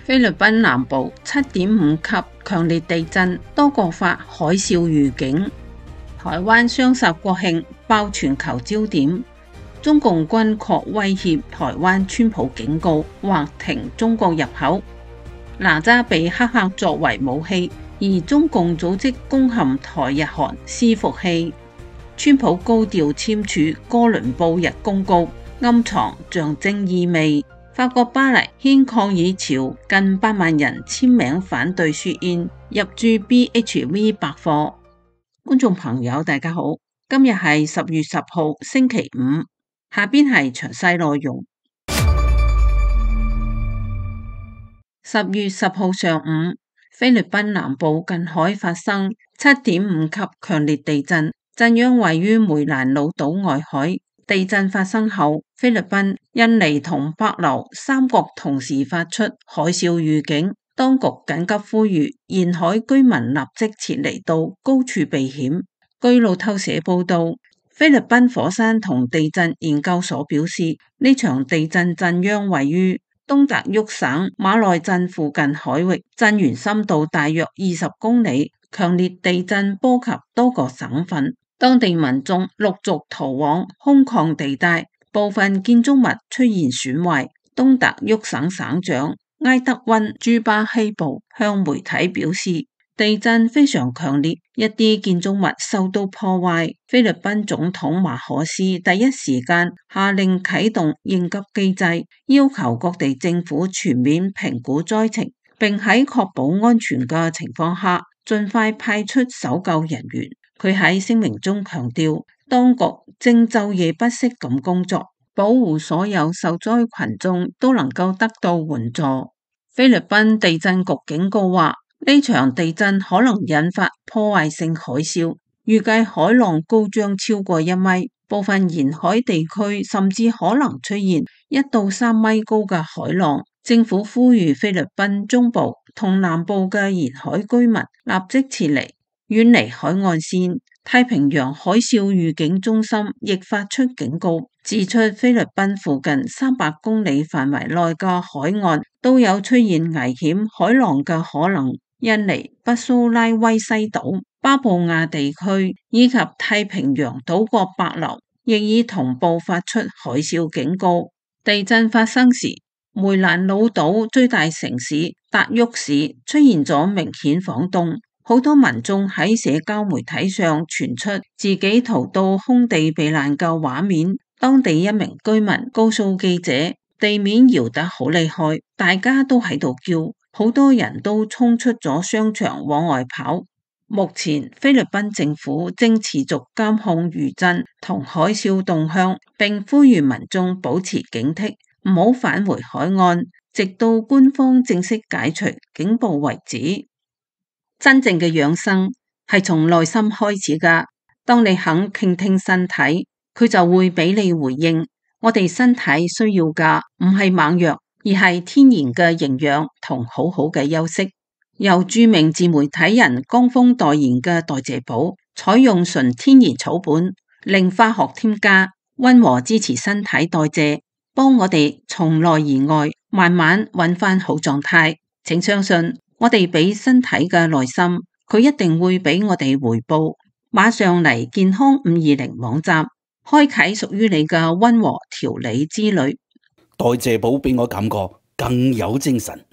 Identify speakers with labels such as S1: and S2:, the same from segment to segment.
S1: 菲律賓南部7.5級強烈地震，多國發海嘯預警。台灣雙十國慶爆全球焦點，中共軍確威脅台灣，川普警告或停中國入口。哪吒被黑客作為武器，而中共組織攻陷台日韓伺服器。川普高調簽署哥倫布日公告，暗藏象徵意味。法國巴黎掀抗議潮，近8萬人簽名反對雪燕入駐 BHV 百貨。觀眾朋友大家好，今日係10月10號星期五，下邊係詳細內容。10月10號上午，菲律賓南部近海發生7.5級強烈地震，震央位於梅蘭老島外海。地震發生後，菲律賓、印尼同帛琉3國同時發出海嘯預警，當局緊急呼籲沿海居民立即撤離到高處避險。據路透社報道，菲律賓火山同地震研究所表示，呢場地震震央位於東達沃省馬內鎮附近海域，震源深度大約20公里，強烈地震波及多個省份。當地民眾陸續逃往空曠地帶，部分建築物出現損壞。東達沃省省長埃德溫朱巴希布向媒體表示，地震非常強烈，一啲建築物受到破壞。菲律賓總統馬可斯第一時間下令啟動應急機制，要求各地政府全面評估災情，並喺確保安全嘅情況下，盡快派出搜救人員。佢喺聲明中強調，當局正晝夜不息咁工作，保護所有受災群眾都能夠得到援助。菲律賓地震局警告話，呢場地震可能引發破壞性海嘯，預計海浪高將超過1米，部分沿海地區甚至可能出現1到3米高嘅海浪。政府呼籲菲律賓中部同南部嘅沿海居民立即撤離，遠離海岸線。太平洋海嘯預警中心亦發出警告，指出菲律賓附近300公里範圍內嘅海岸都有出現危險海浪嘅可能。印尼北蘇拉威西島、巴布亞地區以及太平洋島國帛琉亦已同步發出海嘯警告。地震發生時，梅蘭老島最大城市達沃市出現咗明顯晃動，好多民眾喺社交媒體上傳出自己逃到空地避難嘅畫面。當地一名居民告訴記者，地面搖得好厲害，大家都喺度叫，好多人都衝出咗商場往外跑。目前菲律賓政府正持續監控餘震同海嘯動向，並呼籲民眾保持警惕，唔好返回海岸，直到官方正式解除警報為止。真正嘅養生係從內心開始㗎，當你肯傾聽身體，佢就會俾你回應。我哋身體需要嘅唔係猛藥，而係天然嘅營養同好好嘅休息。由著名自媒體人江峰代言嘅代謝寶，採用純天然草本，零化學添加，溫和支持身體代謝，幫我哋從內而外慢慢揾翻好狀態。請相信，我哋俾身體嘅耐心，佢一定會俾我哋回報。馬上嚟健康520網站，開啟屬於你嘅溫和調理之旅。
S2: 代謝寶俾我感覺更有精神。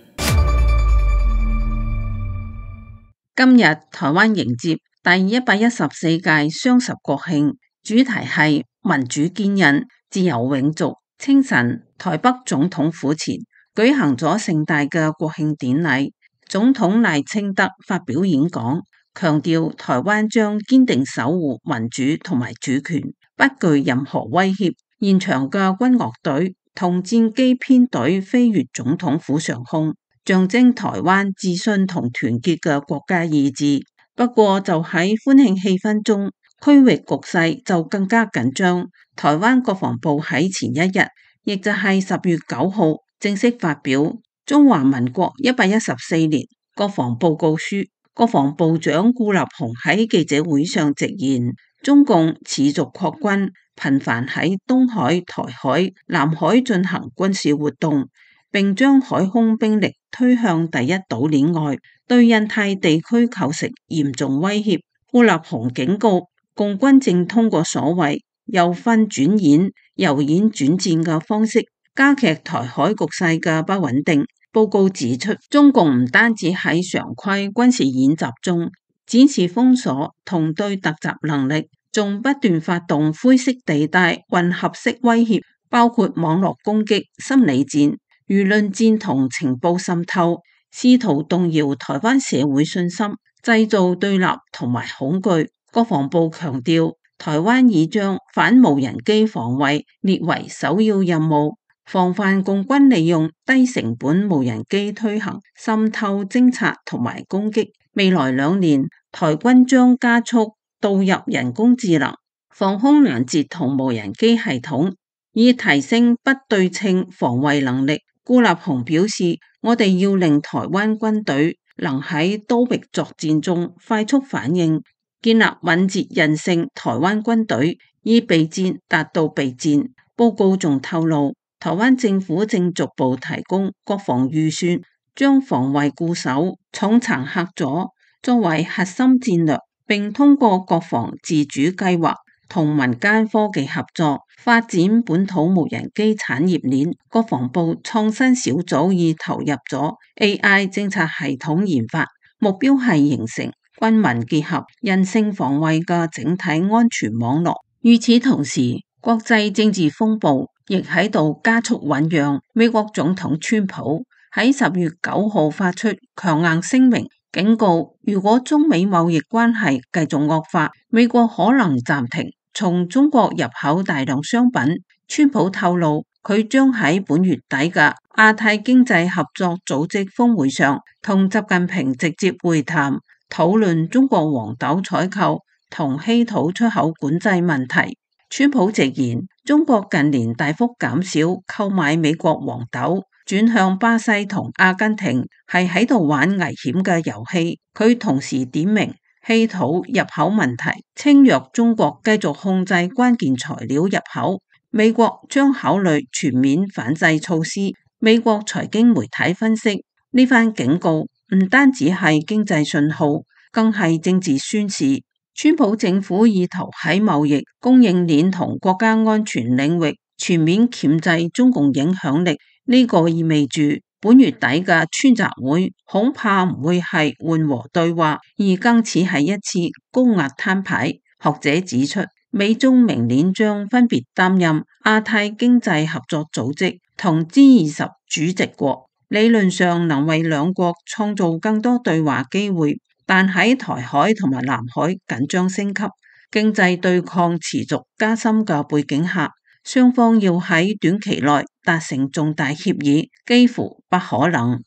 S1: 今日台灣迎接第114屆雙十國慶，主題係民主堅韌、自由永續。清晨，台北總統府前舉行咗盛大嘅國慶典禮。總統賴清德發表演講，強調台灣將堅定守護民主同埋主權，不具任何威脅。現場嘅軍樂隊同戰機編隊飛越總統府上空，象徵台灣自信同團結嘅國家意志。不過就喺歡慶氣氛中，區域局勢就更加緊張。台灣國防部喺前一日，亦就係10月9號正式發表中華民國114年國防報告書。國防部長顧立雄喺記者會上直言，中共持續擴軍，頻繁喺東海、台海、南海進行軍事活動，並將海空兵力推向第一島鏈外，對印太地區構成嚴重威脅。顧立雄警告，共軍正通過所謂由訓轉演、由演轉戰嘅方式，加劇台海局勢嘅不穩定。報告指出，中共唔單止喺常規軍事演習中展示封鎖同對突襲能力，仲不斷發動灰色地帶混合式威脅，包括網絡攻擊、心理戰、輿論戰同情報滲透，試圖動搖台灣社會信心，製造對立同埋恐懼。國防部強調，台灣已將反無人機防衛列為首要任務，防範共軍利用低成本無人機推行滲透、偵察同埋攻擊。未來2年，台軍將加速導入人工智能、防空攔截同無人機系統，以提升不對稱防衛能力。顧立雄表示，我哋要令台灣軍隊能喺多域作戰中快速反應，建立敏捷韌性台灣軍隊，以備戰達到備戰。報告仲透露，台灣政府正逐步提供國防預算，將防衛固守、重層嚇阻作為核心戰略，並通過國防自主計劃同民間科技合作發展本土無人機產業鏈。國防部創新小組已投入咗 AI 偵察系統研發，目標係形成軍民結合、韌性防衛嘅整體安全網絡。與此同時，國際政治風暴亦喺度加速醞釀。美國總統川普喺10月9號發出強硬聲明，警告如果中美貿易關係繼續惡化，美國可能暫停從中國入口大量商品。川普透露，佢將喺本月底嘅亞太經濟合作組織峰會上同習近平直接會談，討論中國黃豆採購同稀土出口管制問題。川普直言，中國近年大幅減少購買美國黃豆，轉向巴西同阿根廷，係喺度玩危險嘅遊戲。佢同時點名稀土入口問題，稱若中國繼續控制關鍵材料入口，美國將考慮全面反制措施。美國財經媒體分析，呢番警告唔單止係經濟信號，更係政治宣示。川普政府意圖喺貿易、供應鏈同國家安全領域全面鉗制中共影響力，呢個意味住本月底嘅川習會恐怕唔會係緩和對話，而更似係一次高壓攤牌。學者指出，美中明年將分別擔任亞太經濟合作組織同 G20 主席國，理論上能為兩國創造更多對話機會。但喺台海同埋南海緊張升級、經濟對抗持續加深嘅背景下，雙方要喺短期內達成重大協議幾乎不可能。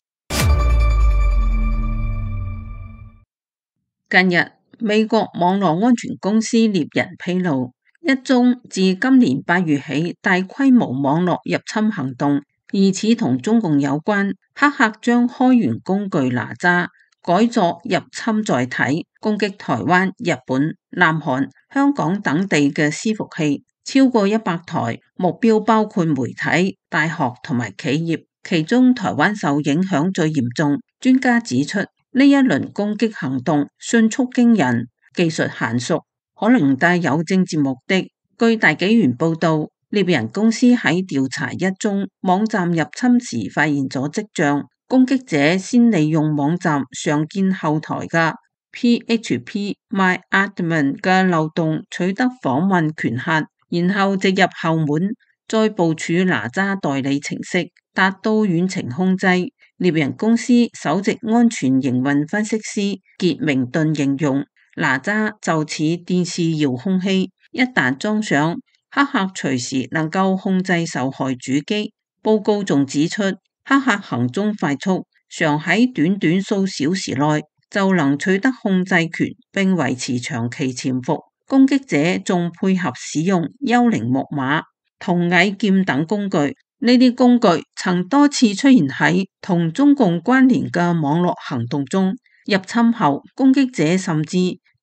S1: 近日，美國網絡安全公司獵人披露，一宗自今年8月起大規模網絡入侵行動，疑似同中共有關。黑客將開源工具哪吒改作入侵載體，攻擊台灣、日本、南韓、香港等地嘅伺服器，超過100台，目標包括媒體、大學同埋企業，其中台灣受影響最嚴重。專家指出，呢一輪攻擊行動迅速驚人，技術嫻熟，可能帶有政治目的。據大紀元報道，獵人公司喺調查一宗網站入侵時發現咗跡象。攻擊者先利用網站常見後台嘅 PHP MyAdmin 嘅漏洞取得訪問權限，然後直入後門，再部署哪吒代理程式，達到遠程控制。獵人公司首席安全營運分析師傑明頓形容，哪吒就似電視遙控器，一旦裝上，黑客隨時能夠控制受害主機。報告仲指出，黑客行蹤快速，常喺短短數小時內就能取得控制權並維持長期潛伏。攻擊者仲配合使用幽靈木馬、同蟻劍等工具，呢啲工具曾多次出現喺同中共關聯嘅網絡行動中。入侵後，攻擊者甚至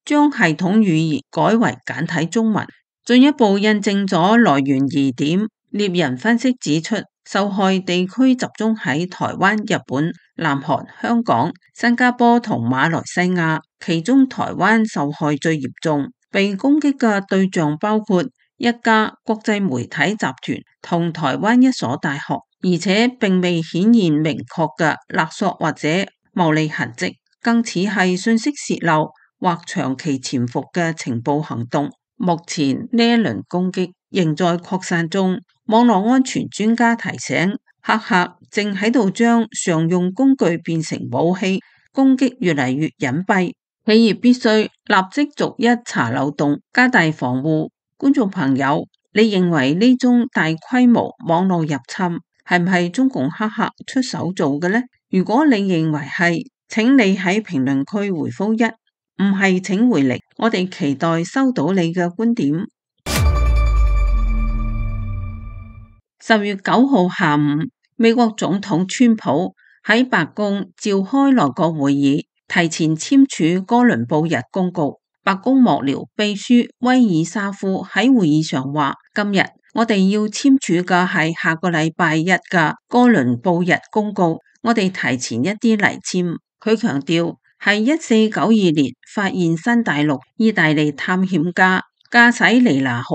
S1: 將系統語言改為簡體中文，進一步印證咗來源疑點。獵人分析指出，受害地區集中喺台灣、日本、南韓、香港、新加坡同馬來西亞，其中台灣受害最嚴重。被攻擊嘅對象包括一家國際媒體集團同台灣一所大學，而且並未顯現明確嘅勒索或者牟利痕跡，更似係信息洩漏或長期潛伏嘅情報行動。目前呢一輪攻擊仍在擴散中，網絡安全專家提醒，黑客正喺度將常用工具變成武器，攻擊越嚟越隱蔽。企業必須立即逐一查漏洞，加大防護。觀眾朋友，你認為呢宗大規模網絡入侵係唔係中共黑客出手做嘅呢？如果你認為係，請你喺評論區回覆一，唔係請回零。我哋期待收到你嘅觀點。10月9號下午，美國總統川普喺白宮召開內閣會議，提前簽署哥倫布日公告。白宮幕僚秘書威爾沙夫喺會議上話：今日我哋要簽署嘅係下個禮拜一嘅哥倫布日公告，我哋提前一啲嚟簽。佢強調係1492年發現新大陸意大利探險家駕駛尼拿號、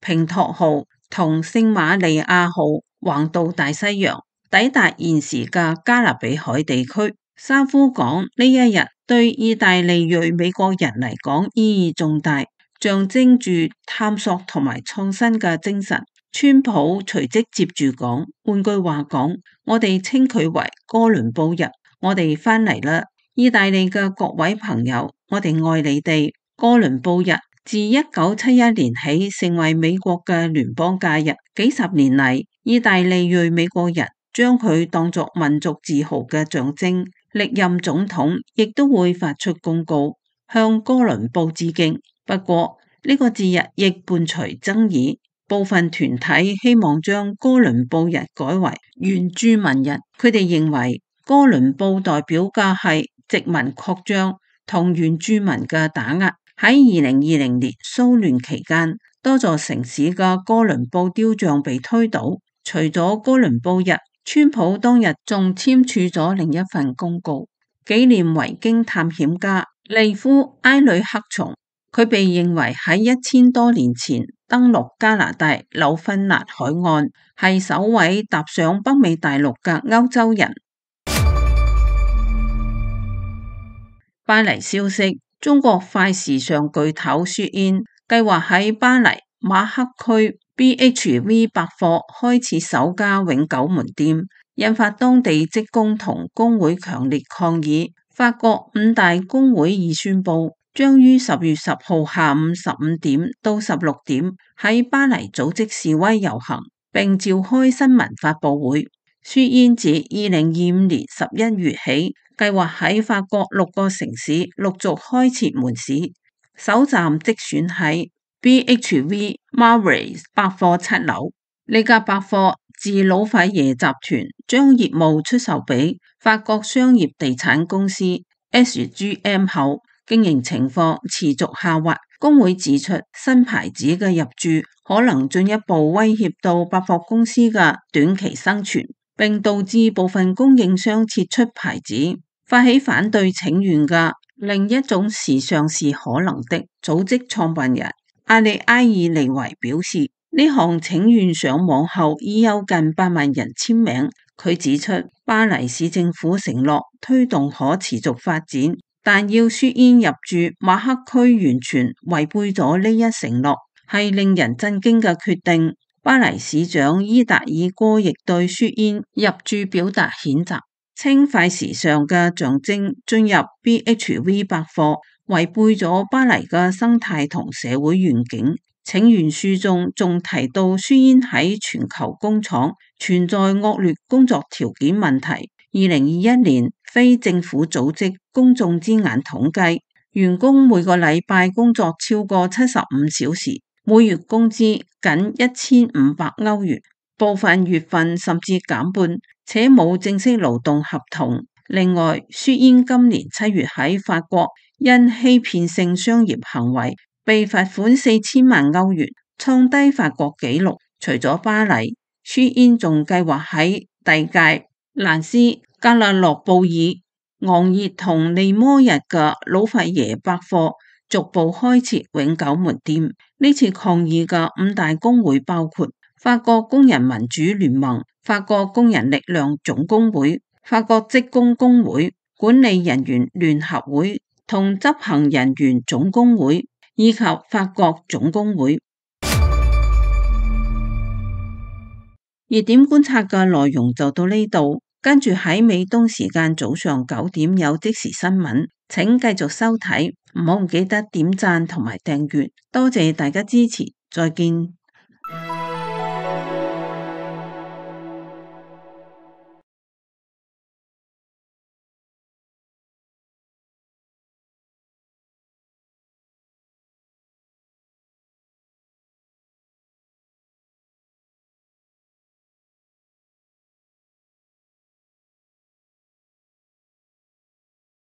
S1: 平托號同聖瑪利亞號橫渡大西洋，抵達現時嘅加勒比海地區。沙夫講，呢一日對意大利裔美國人嚟講意義重大，象徵住探索同埋創新嘅精神。川普隨即接住講，換句話講，我哋稱佢為哥倫布日，我哋翻嚟啦，意大利嘅各位朋友，我哋愛你哋。哥倫布日自1971年起成為美國嘅聯邦假日，幾十年嚟，意大利裔美國人將佢當作民族自豪嘅象徵。歷任總統亦都會發出公告，向哥倫布致敬。不過呢個節日亦伴隨爭議，部分團體希望將哥倫布日改為原住民日。佢哋認為哥倫布代表嘅係殖民擴張同原住民嘅打壓。喺2020年騷亂期間，多座城市嘅哥倫布雕像被推倒。除咗哥倫布日，川普當日仲簽署咗另一份公告，紀念維京探險家利夫埃里克松。佢被認為喺1000多年前登陸加拿大紐芬蘭海岸，係首位踏上北美大陸嘅歐洲人。巴黎消息，中國快時尚巨頭雪燕計劃喺巴黎馬克區BHV 百貨開設首家永久門店，引發當地職工同工會強烈抗議。法國5大工會已宣布，將於10月10號下午15點到16點喺巴黎組織示威遊行，並召開新聞發佈會。雪燕自2025年11月起，計劃喺法國6個城市陸續開設門市，首站即選喺BHV Marais 百貨7樓。呢家百貨自老費耶集團將業務出售俾法國商業地產公司 SGM 後，經營情況持續下滑。工會指出，新牌子嘅入駐可能進一步威脅到百貨公司嘅短期生存，並導致部分供應商撤出牌子。發起反對請願嘅另一種時尚是可能的組織創辦人阿里埃爾尼維表示，呢項請願上網後已有近8萬人簽名。佢指出，巴黎市政府承諾推動可持續發展，但要雪燕入駐馬克區完全違背咗呢一承諾，係令人震驚嘅決定。巴黎市長伊達爾戈亦對雪燕入駐表達譴責，稱快時尚嘅象徵進入 BHV 百貨違背咗巴黎嘅生態同社會願景。請願書中仲提到雪燕喺全球工廠存在惡劣工作條件問題。2021年非政府組織公眾之眼統計，員工每個禮拜工作超過75小時，每月工資僅1500歐元，部分月份甚至減半，且冇正式勞動合同。另外，雪燕今年7月喺法國因欺騙性商業行為被罰款4000萬歐元，創低法國紀錄。除咗巴黎，舒煙仲計劃喺第屆蘭斯加勒諾布爾、昂熱同利摩日嘅老佛爺百貨逐步開設永久門店。呢次抗議嘅5大工會包括法國工人民主聯盟、法國工人力量總工會、法國職工工會、管理人員聯合會同執行人員總工會，以及法國總工會。熱點觀察嘅內容就到呢度，跟住喺美東時間早上9點有即時新聞，請繼續收睇，唔好唔記得點讚同埋訂閱，多謝大家支持，再見。